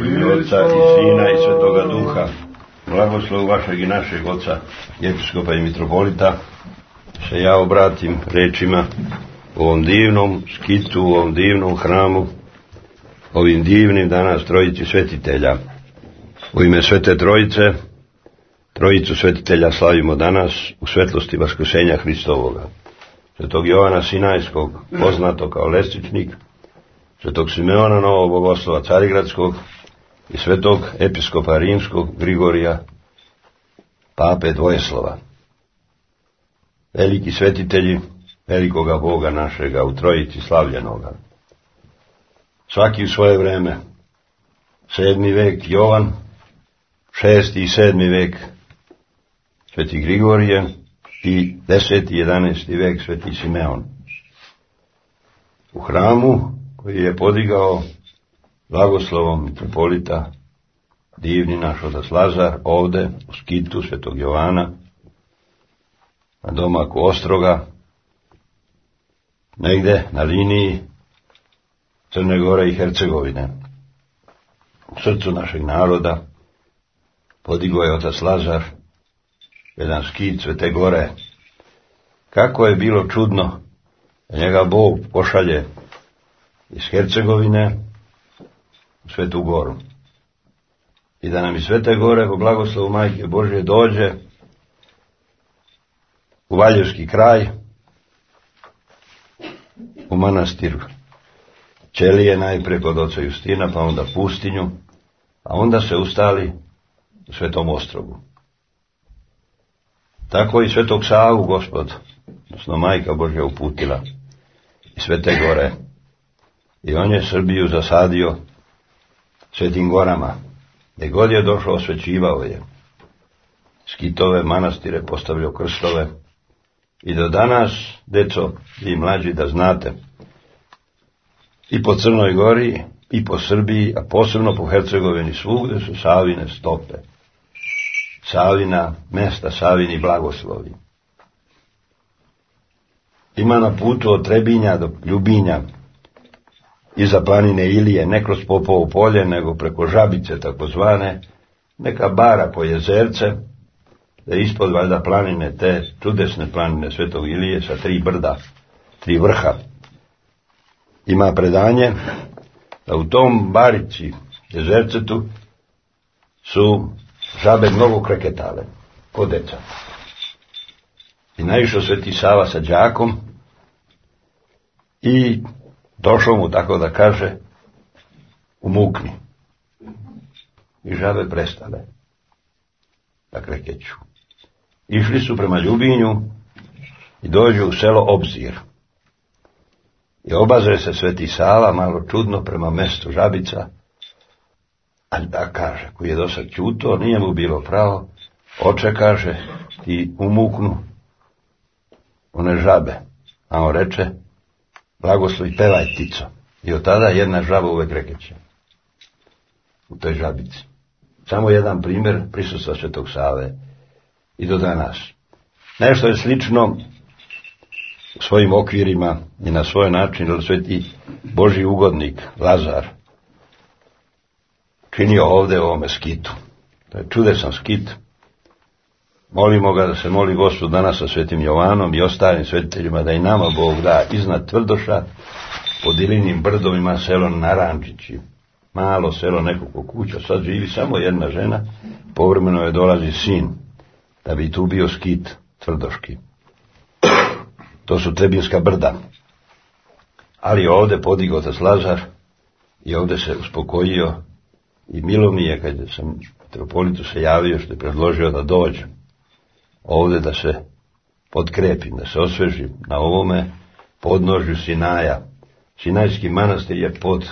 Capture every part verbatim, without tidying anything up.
I Otca i Sina i Svetoga Duha. Blagoslov vašeg i našeg Oca, episkopa i mitropolita, se ja obratim rečima u ovom divnom skitu, u ovom divnom hramu, ovim divnim danas trojici svetitelja. U ime Svete Trojice, trojicu svetitelja slavimo danas u svetlosti vaskrsenja Hristovoga. Svetog Jovana Sinajskog, poznato kao Lestičnik, Svetog Simeona Novog Bogoslova Carigradskog i Svetog episkopa Rimskog Grigorija, Pape Dvojeslova. Veliki svetitelji velikoga Boga našega u trojici slavljenoga. Svaki u svoje vreme. Sedmi vek Jovan, šesti i sedmi vek Sveti Grigorije i deseti i jedanesti vek Sveti Simeon. U hramu koji je podigao blagoslovom mitropolita divni naš otac Lazar, ovde u skitu Svetog Jovana, na domaku Ostroga, negde na liniji Crne Gore i Hercegovine. U srcu našeg naroda podigao je otac Lazar jedan skit Svete Gore. Kako je bilo čudno da njega Bog pošalje iz Hercegovine u Svetu Goru i da nam iz Svete Gore po blagoslovu Majke Božje dođe u Valjevski kraj, u manastir Ćelije, najprije kod oca Justina, pa onda pustinju, a onda se ustali u Svetom Ostrogu. Tako i Svetog Savu Gospod, odnosno Majka Božja, uputila iz Svete Gore. I on je Srbiju zasadio Svetim Gorama. Gdje god je došao, osvećivao je. Skitove, manastire, postavljao krstove. I do danas, deco i mlađi, da znate, i po Crnoj Gori, i po Srbiji, a posebno po Hercegovini, svugde su Savine stope. Savina mesta, Savini blagoslovi. Ima na putu od Trebinja do Ljubinja, iza planine Ilije, ne kroz Popovo polje, nego preko Žabice takozvane, neka bara po jezerce, da ispod valjda planine, te čudesne planine Svetog Ilije sa tri brda, tri vrha. Ima predanje da u tom barici, jezercetu, su žabe mnogo kreketale, ko deca. I naišao Sveti Sava sa đakom i došao mu, tako da kaže, u mukni. I žabe prestale da krekeću. Išli su prema Ljubinju i dođu u selo Obzir. I obazre se Sveti Sava malo čudno prema mestu Žabica, a da kaže, koji je dosad ćuto, nije mu bilo pravo, oče, kaže, ti umuknu one žabe. A on reče, blagoslovi, pevaj, ptico. I od tada jedna žaba uvek rekeće u toj Žabici. Samo jedan primjer prisustva Svetog Save i do danas. Nešto je slično u svojim okvirima i na svoj način, jer Sveti Božji ugodnik Lazar činio ovde u ovome skitu. To je čudesan skit. Molimo ga da se moli Gospod danas sa Svetim Jovanom i ostalim svetiteljima, da i nama Bog da iznad Tvrdoša, po Dilinim brdovima, selo Narančići. Malo selo, nekoliko kuća, sad živi samo jedna žena, povremeno je dolazi sin, da bi tu bio skit tvrdoški. To su Trebinska brda. Ali ovde podigao otac Lazar i ovde se uspokojio i milo mi je kad sam mitropolitu se javio što je predložio da dođem ovde da se potkrepim, da se osvežim na ovome podnožju Sinaja. Sinajski manastir je pod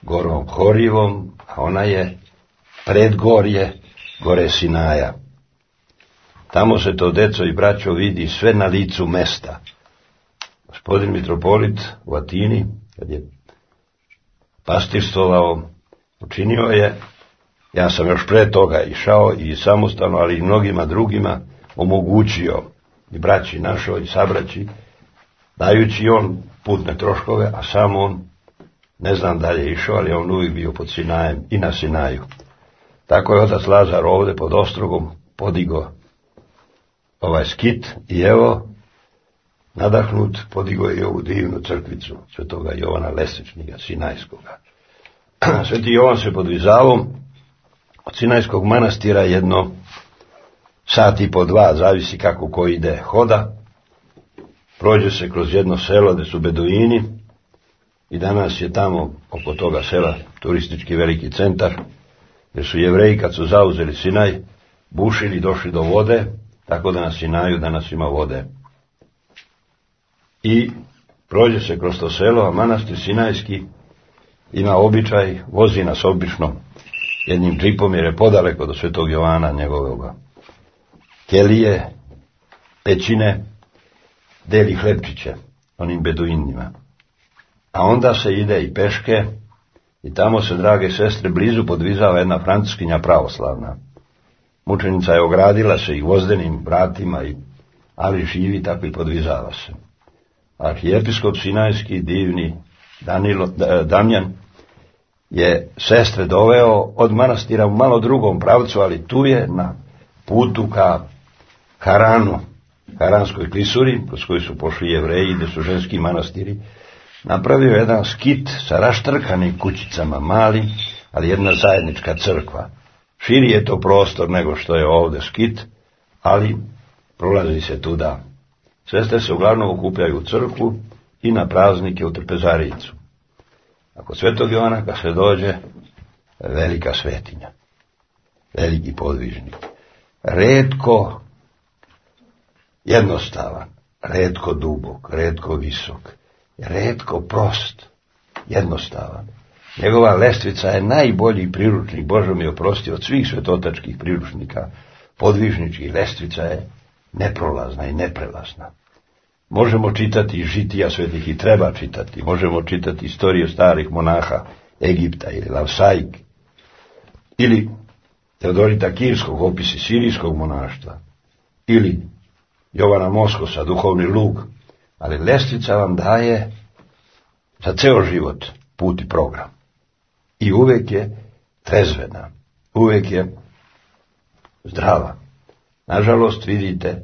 gorom Horivom, a ona je predgorje gore Sinaja. Tamo se to, deco i braćo, vidi sve na licu mesta. Gospodin mitropolit u Atini, kad je pastirstvovao, učinio je, ja sam još pre toga išao i samostalno, ali i mnogima drugima omogućio, i braći našoj i sabraći, dajući on putne troškove, a sam on Ne znam da li je išao, ali on uvijek bio pod Sinajem i na Sinaju. Tako je otac Lazar ovdje pod Ostrogom podigo ovaj skit i evo, nadahnut, podigo je ovu divnu crkvicu svetoga Jovana Lesničnika, Sinajskoga. Sveti Jovan se podvizavao od Sinajskog manastira jedno sat i po dva, zavisi kako ko ide hoda, prođe se kroz jedno selo gdje su beduini i danas je tamo oko toga sela turistički veliki centar, jer su Jevreji kad su zauzeli Sinaj bušili, došli do vode, tako da na Sinaju danas ima vode. I prođe se kroz to selo, a manastir Sinajski ima običaj, vozi nas obično jednim džipom jer je podaleko do svetog Jovana njegovog kelije, pećine, deli hlebčiće onim beduinima. A onda se ide i peške i tamo se, drage sestre, blizu podvizava jedna francuskinja pravoslavna. Mučenica je ogradila se i gvozdenim vratima, i, ali živi tako i podvizava se. Arhijepiskop Sinajski, divni Danilo, Damjan, je sestre doveo od manastira u malo drugom pravcu, ali tu je na putu ka Haranu, Haranskoj klisuri, kroz koju su pošli Jevreji, gdje su ženski manastiri, napravio jedan skit sa raštrkanim kućicama, mali, ali jedna zajednička crkva. Širi je to prostor nego što je ovdje skit, ali prolazi se tuda. Sestre se uglavnom okupljaju u crkvu i na praznike u trpezarijicu. Ako svetog Jovana kad se dođe, velika svetinja, veliki podvižnik, retko jednostavan, retko dubok, retko visok, retko prost, jednostavan. Njegova lestvica je najbolji priručnik, Bože mi oprosti, od svih svetotačkih priručnika, podvižničkih. Lestvica je neprolazna i neprelazna. Možemo čitati žitija svetih i treba čitati, možemo čitati istoriju starih monaha Egipta ili Lavsaik, ili Teodorita Kirskog, opisi sirijskog monaštva, ili Jovana Moskosa, duhovni lug, ali lestvica vam daje za ceo život put i program. I uvijek je trezvena, uvijek je zdrava. Nažalost, vidite,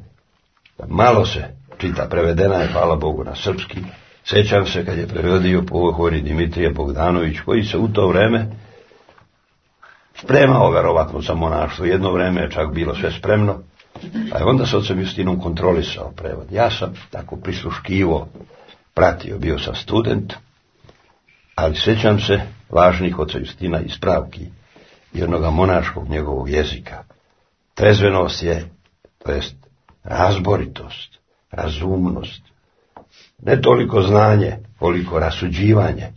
da malo se čita, prevedena je, hvala Bogu, na srpski. Sjećam se kad je prevodio pohori Dimitrije Bogdanović, koji se u to vreme spremao verovatno za monaštvo. Jedno vreme je čak bilo sve spremno, a je onda s ocem Justinom kontrolisao prevod. Ja sam tako prisluškivo pratio, bio sam student, ali sjećam se važnih oca Justina ispravki i onoga monaškog njegovog jezika. Trezvenost je, to jest razboritost, razumnost, ne toliko znanje, koliko rasuđivanje,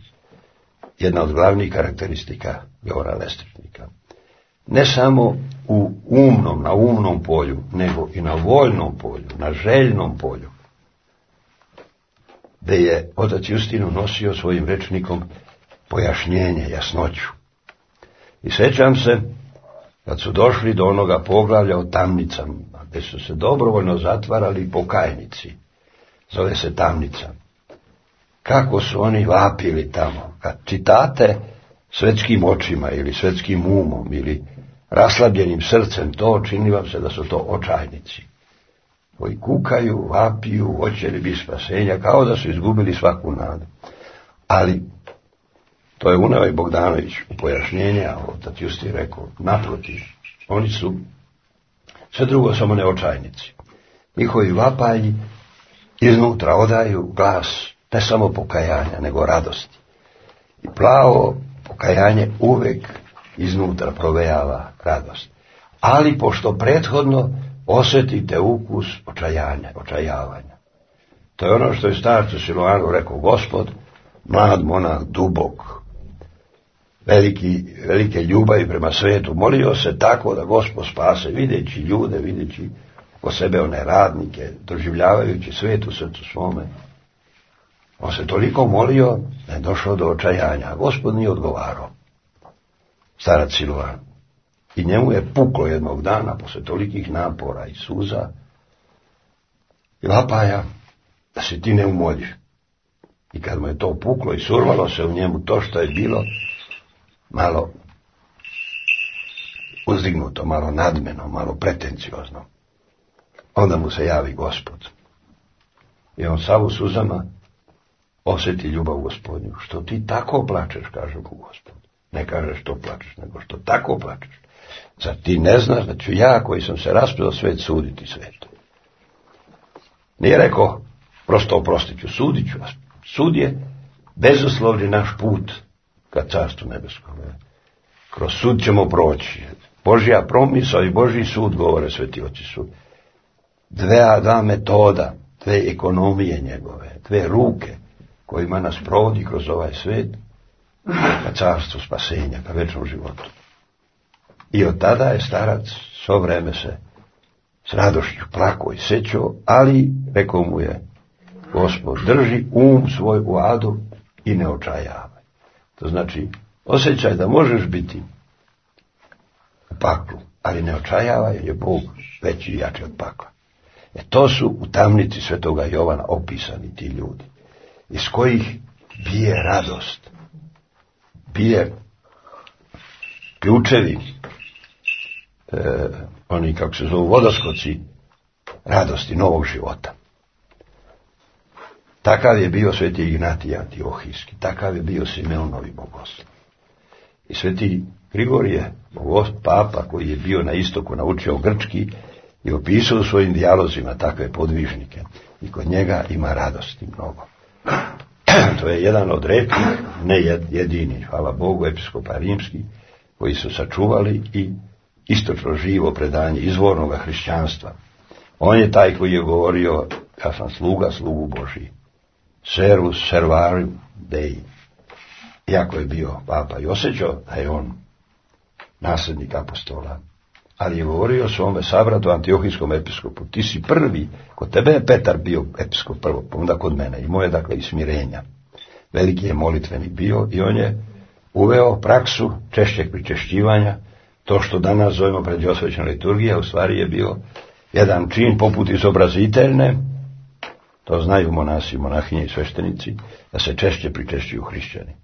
jedna od glavnih karakteristika Jovana Lesničnika. Ne samo u umnom, na umnom polju, nego i na voljnom polju, na željnom polju, gdje je otac Justin unosio svojim rečnikom pojašnjenje, jasnoću. I sjećam se, kad su došli do onoga poglavlja o tamnicama, gdje su se dobrovoljno zatvarali pokajnici, zove se tamnica, kako su oni vapili tamo. Kad čitate svetskim očima ili svetskim umom ili raslabljenim srcem, to čini vam se da su to očajnici koji kukaju, vapiju, hoće li biti spasenja, kao da su izgubili svaku nadu. Ali to je uneo i Bogdanović u pojašnjenje, a otac Justin rekao, naprotiv, oni su sve drugo samo ne očajnici. Njihovi vapaji iznutra odaju glas ne samo pokajanja, nego radosti. I plavo pokajanje uvek iznutra provejava radost. Ali pošto prethodno osjetite ukus očajanja, očajavanja. To je ono što je starcu Siloanu rekao Gospod, mlad monah, dubok, veliki, velike ljubavi prema svetu, molio se tako da Gospod spase, videći ljude, videći oko sebe one radnike, doživljavajući svet u srcu svome. On se toliko molio da je došao do očajanja, a Gospod nije odgovarao. Starac Siloan. I njemu je puklo jednog dana, posle tolikih napora i suza i vapaja, da se ti ne umoljiš. I kad mu je to puklo i survalo se u njemu to što je bilo malo uzdignuto, malo nadmeno, malo pretenciozno, onda mu se javi Gospod. I on sav u suzama osjeti ljubav Gospodnju. Što ti tako plačeš, kaže mu Gospod. Ne kaže što plačeš, nego što tako plačeš. Zar ti ne znaš da ću ja, koji sam se raspredao svet, suditi svetu? Nije rekao, prosto oprostit ću, sudit ću vas. Sud je bezuslovni naš put ka carstvu nebeskom. Kroz sud ćemo proći. Božja promisao i Božji sud, govore sveti oci, su dve, dva metoda, dve ekonomije njegove, dve ruke kojima nas provodi kroz ovaj svet ka carstvu spasenja, ka večnom životu. I od tada je starac svo vreme se s radošću plako i sećao, ali rekao mu je Gospod, drži um svoj u adu i ne očajavaj. To znači, osjećaj da možeš biti u paklu, ali ne očajavaj, je Bog veći i jači od pakla. E to su u tamnici svetoga Jovana opisani ti ljudi, iz kojih bije radost, bije ključevi, e, oni kako se zovu vodoskoci radosti novog života. Takav je bio sveti Ignatij Antiohijski, takav je bio Simeonovi bogoslov. I sveti Grigorije, papa koji je bio na istoku, naučio grčki i opisao svojim dijalozima takve podvižnike. I kod njega ima radosti mnogo. To je jedan od retkih, ne jedini, hvala Bogu, episkopa rimski, koji su sačuvali i istočno živo predanje izvornog hrišćanstva. On je taj koji je govorio, ja sam sluga, slugu Božiji. Servus servarium Dei. Iako je bio papa i osjećao da je on nasljednik apostola, ali je govorio svome sabratu Antiohijskom episkopu, ti si prvi, kod tebe je Petar bio episkop prvo, pa onda kod mene, i moje dakle i smirenja. Veliki je molitvenik bio i on je uveo praksu češćeg pričešćivanja. To što danas zovemo pređosvećna liturgija, u stvari je bio jedan čin poput izobraziteljne, to znaju monasi, monahinje i sveštenici, da se češće pričešćuju hrišćani.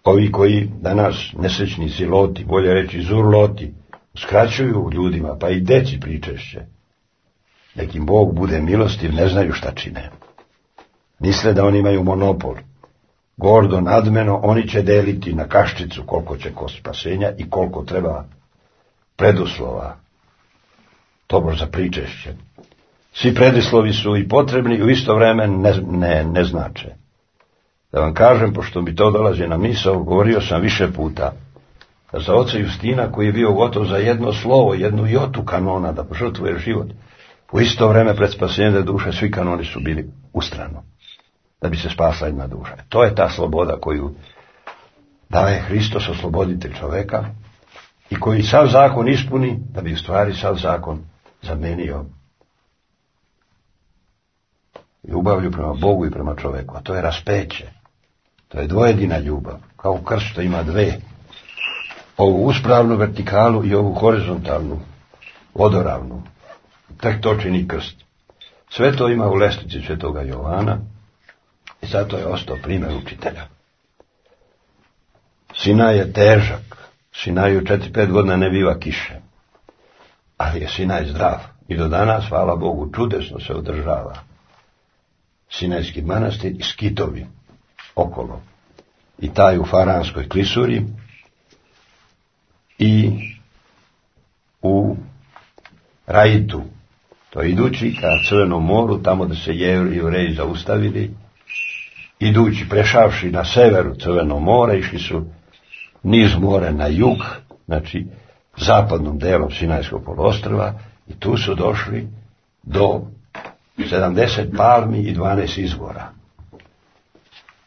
Ovi koji danas nesrećni ziloti, bolje reći zurloti, skraćuju ljudima, pa i deci pričešće. Nekim Bog bude milostiv, ne znaju šta čine. Misle da oni imaju monopol. Gordo, nadmeno, oni će deliti na kaščicu koliko će ko spasenja i koliko treba preduslova. Tobož za pričešće. Svi predislovi su i potrebni i u isto vreme ne, ne, ne znače. Da vam kažem, pošto mi to dolazi na misao, govorio sam više puta, da za oca Justina, koji je bio gotov za jedno slovo, jednu jotu kanona, da požrtvuje život, u isto vreme pred spasenje duše, svi kanoni su bili ustrano, da bi se spasla jedna duša. To je ta sloboda koju daje Hristos, osloboditelj čoveka, i koji sav zakon ispuni, da bi u stvari sav zakon zamenio ljubavlju prema Bogu i prema čoveku. A to je raspeće. To je dvojedina ljubav. Kao krst što ima dve. Ovu uspravnu vertikalu i ovu horizontalnu, vodoravnu. Tek to čini krst. Sve to ima u lestvici svetoga Jovana i zato je ostao primjer učitelja. Sinaj je težak. Sinaju četiri pet godina ne biva kiše. Ali je Sinaj zdrav. I do danas, hvala Bogu, čudesno se održava. Sinajski manastir i skitovi okolo. I taj u Faranskoj klisuri i u Raitu. To je idući ka Crvenom moru, tamo da se Jevreji zaustavili, idući, prešavši na severu Crvenog mora, išli su niz more na jug, znači zapadnom delom Sinajskog poluostrva, i tu su došli do sedamdeset palmi i dvanaest izvora.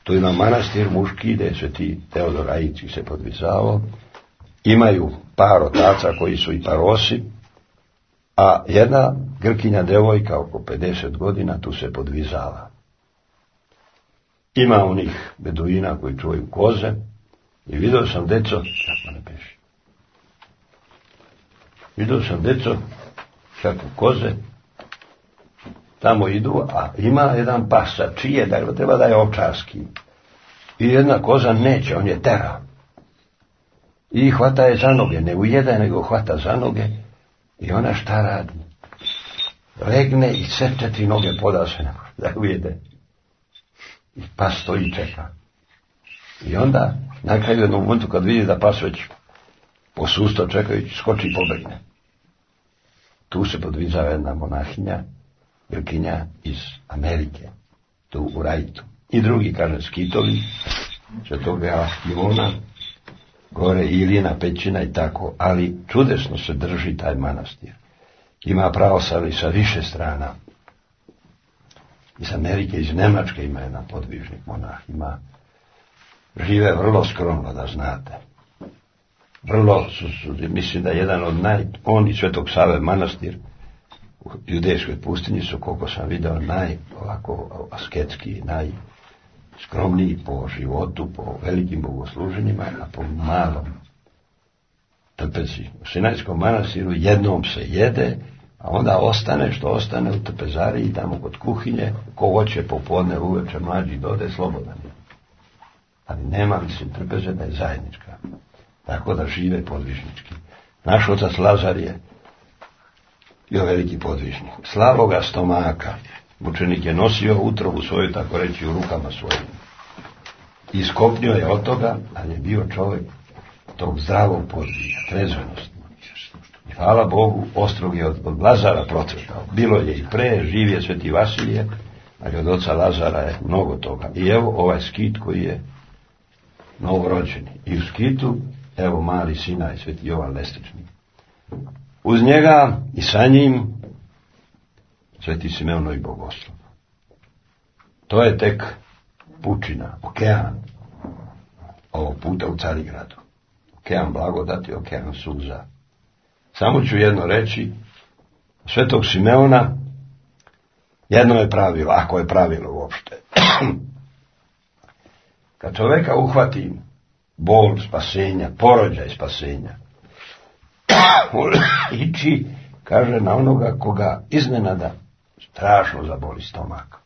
Tu ima manastir muški, gdje je sveti Teodor Aidski se podvizao. Imaju par otaca koji su i parosi, a jedna Grkinja devojka oko pedeset godina tu se podvizava. Ima onih beduina koji čuvaju koze i vidio sam deco, kako ne peši, vidio sam deco kako koze tamo idu, a ima jedan pas, čije, da treba da je ovčarski. I jedna koza neće, on je tera. I hvata je za noge, ne ujeda, nego hvata za noge. I ona šta radi? Legne i sve četiri noge poda se da ujede. I pas stoji i čeka. I onda, na kraju jednom momentu kad vidi da pas već posusto čekajući, skoči i pobegne. Tu se podvizava jedna monahinja, Grkinja iz Amerike, tu u Rajtu. I drugi, kaže, skitovi, Svetoga Ivona, gore Ilina pećina i tako, ali čudesno se drži taj manastir. Ima pravoslavlje sa više strana. Iz Amerike, iz Nemačke ima jedan podvižnik monah, ima, žive vrlo skromno, da znate. Vrlo, su, su, mislim da jedan od naj, on i Svetog Save manastir u judejskoj pustinji su, koliko sam video, naj, ovako, asketski, najskromniji po životu, po velikim bogosluženjima, a po malom trpezi. U Sinajskom manastiru jednom se jede, a onda ostane što ostane u trpezariji, tamo kod kuhinje, ko hoće popodne, uveče, mlađi dode, slobodan je. Ali nema, mislim, trpeze da je zajednička. Tako da žive podvižnički. Naš otac Lazar je bio veliki podvižnik. Slavoga stomaka. Mučenik je nosio utrobu svoju, tako reći, u rukama svojim. Iskopnio je od toga, ali je bio čovjek tog zdravog podvižnja, trezvenosti. I hvala Bogu, ostrog je od, od Lazara procvetao. Bilo je i pre, živ je Sveti Vasilije, ali od oca Lazara je mnogo toga. I evo ovaj skit koji je novorođeni. I u skitu, evo mali Sinaj, Sveti Jovan Lestični. Uz njega i sa njim Sveti Simeon i Bogoslov. To je tek pučina, okean, ovog puta u Carigradu. Okean blagodati, okean suza. Samo ću jedno reći, Svetog Simeona, jedno je pravilo, ako je pravilo uopšte. Kad čoveka uhvati bol spasenja, porođaj spasenja, ići, kaže, na onoga koga iznenada strašno zaboli stomak.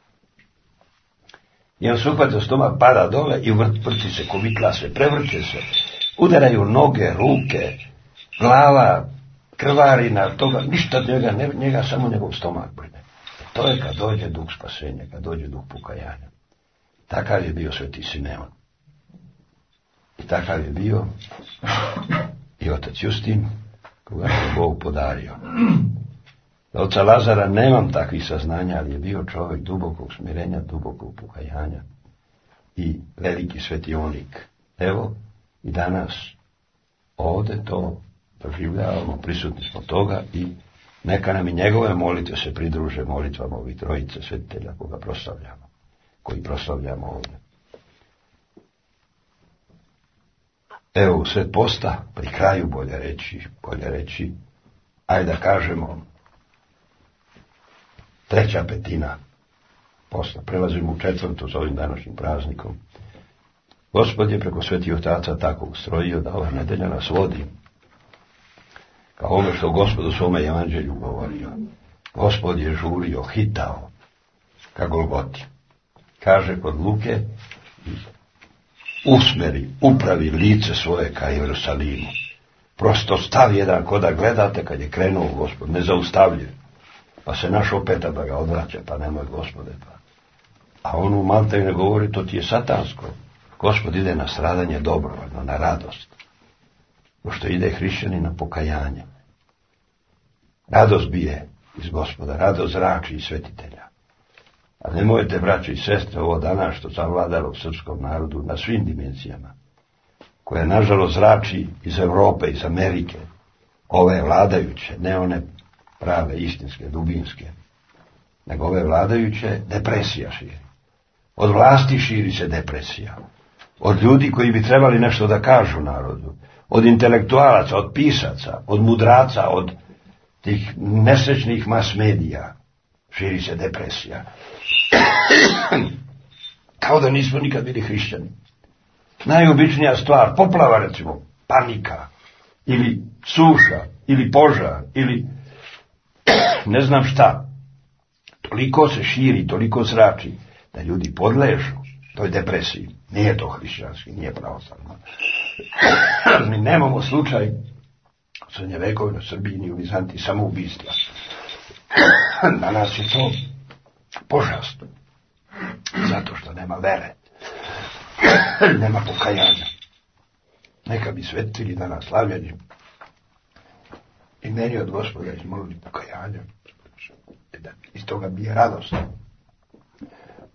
I on se uhvata stomak, pada dole i vrti se, kovitla se, prevrće se, udaraju noge, ruke, glava, krvarina, toga, ništa od njega, ne, njega samo njegov stomak brine. To je kad dođe duh spasenja, kad dođe duh pokajanja. Takav je bio Sveti Simeon. I takav je bio i otac Justin, koga je Bog podario. Za oca Lazara nemam takvih saznanja, ali je bio čovjek dubokog smirenja, dubokog pokajanja i veliki svetionik. Evo, i danas ovdje to doživljavamo, prisutni smo toga i neka nam i njegove molitve se pridruže molitvama ovih trojice svetitelja koga proslavljamo, koji proslavljamo ovdje. Evo, u sred posta, pri kraju bolje reći, bolje reći, ajde da kažemo, treća petina posta, prelazimo u četvrtu za ovim današnjim praznikom. Gospod je preko svetih otaca tako ustrojio da ova nedelja nas vodi kao ono što Gospod u svome evanđelju govorio. Gospod je žurio, hitao ka Golgoti. Kaže kod Luke, usmeri, upravi lice svoje ka Jerusalimu. Prosto stav jedan ko da gledate kad je krenuo Gospod, nezaustavljiv. Pa se naš opeta da ga odvraća, pa nemoj Gospode. Pa. A on u Malteju ne govori, to ti je satansko. Gospod ide na stradanje dobrovoljno, na radost. Pošto ide hrišćani na pokajanje. Radost bije iz Gospoda, radost zrači iz svetitelja. A nemojte, braći i sestre, ovo danas što zavladalo srpskom narodu na svim dimenzijama, koje nažalost zrači iz Europe, iz Amerike, ove vladajuće, ne one prave, istinske, dubinske, nego ove vladajuće, depresija širi. Od vlasti širi se depresija. Od ljudi koji bi trebali nešto da kažu narodu, od intelektualaca, od pisaca, od mudraca, od tih nesrećnih mas medija, širi se depresija. Kao da nismo nikad bili hrišćani. Najobičnija stvar, poplava recimo, panika, ili suša, ili požar, ili ne znam šta. toliko se širi, toliko zrači, da ljudi podležu toj depresiji. Nije to hrišćanski, nije pravoslavno. Mi nemamo slučaj u srednjevekovnoj Srbiji ni u Vizantiji samoubistva. Danas je to požast. Zato što nema vere. Nema pokajanja. Neka bi svetili danas slavljeni i meni od Gospoda izmolili pokajanja. Iz toga bi je radost.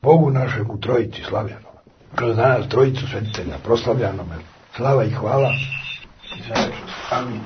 Bogu našemu trojici slavljanome. Kroz danas trojicu svetitelja proslavljanome. Slava i hvala. I za večnost. Amin.